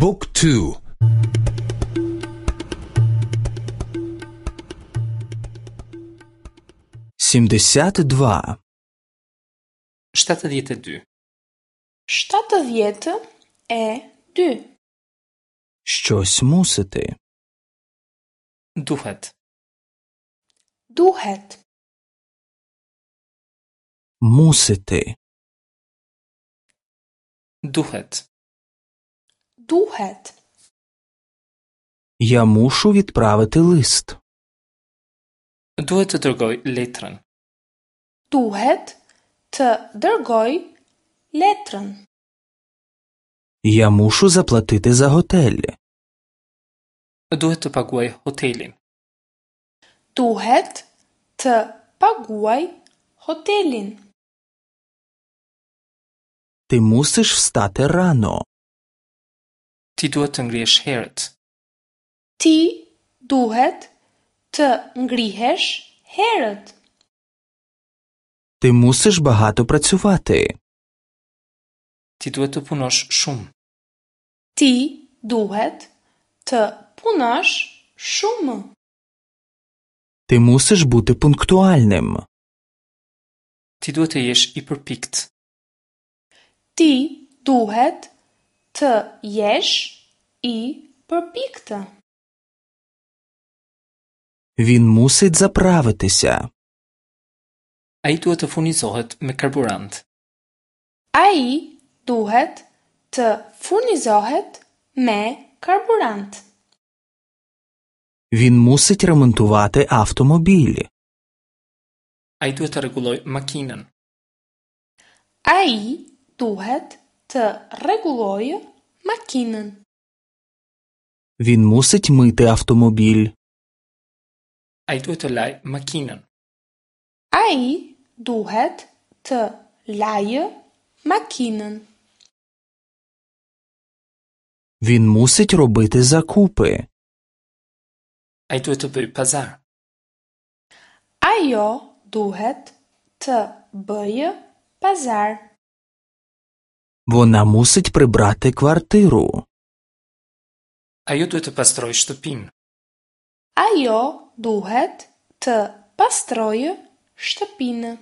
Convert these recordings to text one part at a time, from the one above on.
บุ๊กทู 72. 72. 72. Щось мусити. Duhet. Duhet. Мусити. Duhet. Duhet. Я мушу відправити лист. Duhet të dërgoj letrën. Duhet të dërgoj letrën. Я мушу заплатити за готель. Duhet të paguaj hotelin. Duhet të paguaj hotelin. Ти мусиш встати рано. Ti duhet të ngrihesh herët. Ti duhet të ngrihesh herët. Ти мусиш багато працювати. Ti duhet të punosh shumë. Ti duhet të punosh shumë. Ти мусиш бути пунктуальним. Ti duhet të jesh i përpikt. Ti duhet të jesh i përpiktë. Він мусить заправитися. Ai duhet të furnizohet me karburant. Ai duhet të furnizohet me karburant. Він мусить ремонтувати автомобіль. Ai duhet të rregullojë makinën. Ai duhet të rregullojë makinën. Він мусить мити автомобіль. Ai duhet të lajë makinën. Ai duhet të lajë makinën. Він мусить робити закупи. Ai duhet të bëjë pazar. Ajo duhet të bëjë pazar. Вона мусить прибрати квартиру. Ajo duhet të pastrojë shtëpinë. Ajo duhet të pastrojë shtëpinë.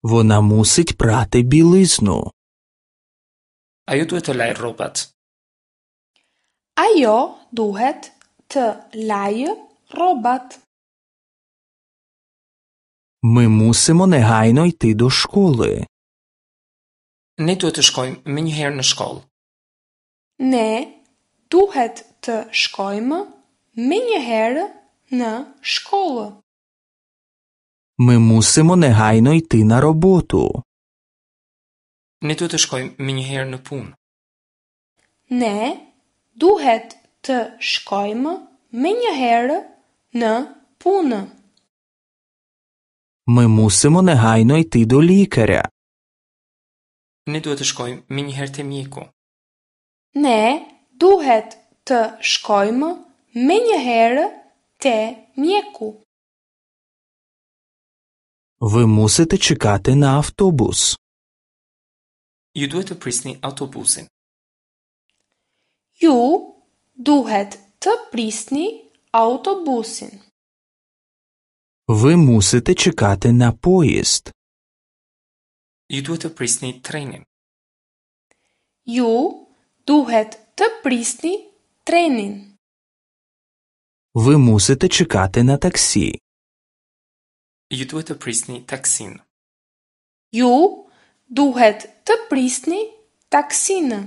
Вона мусить прати білизну. Ajo duhet të lajë rrobat. Ajo duhet të lajë rrobat. Ми мусимо негайно йти до школи. Ne duhet të shkojmë menjëherë në shkollë. Ne duhet të shkojmë menjëherë në shkollë. Ми мусимо негайно йти на роботу. Ne duhet të shkojmë menjëherë në punë. Ne duhet të shkojmë menjëherë në punë. Ми мусимо негайно йти до лікаря. Ne duhet të shkojmë menjëherë te mjeku. Ne duhet të shkojmë menjëherë te mjeku. Ви мусите чекати на автобус. Ju duhet të prisni autobusin. Ju duhet të prisni autobusin. Ви мусите чекати на поїзд. Ju duhet të prisni trenin. Ju duhet të prisni trenin. Ви мусите чекати на таксі. Ju duhet të prisni taksin. Ju duhet të prisni taksinë.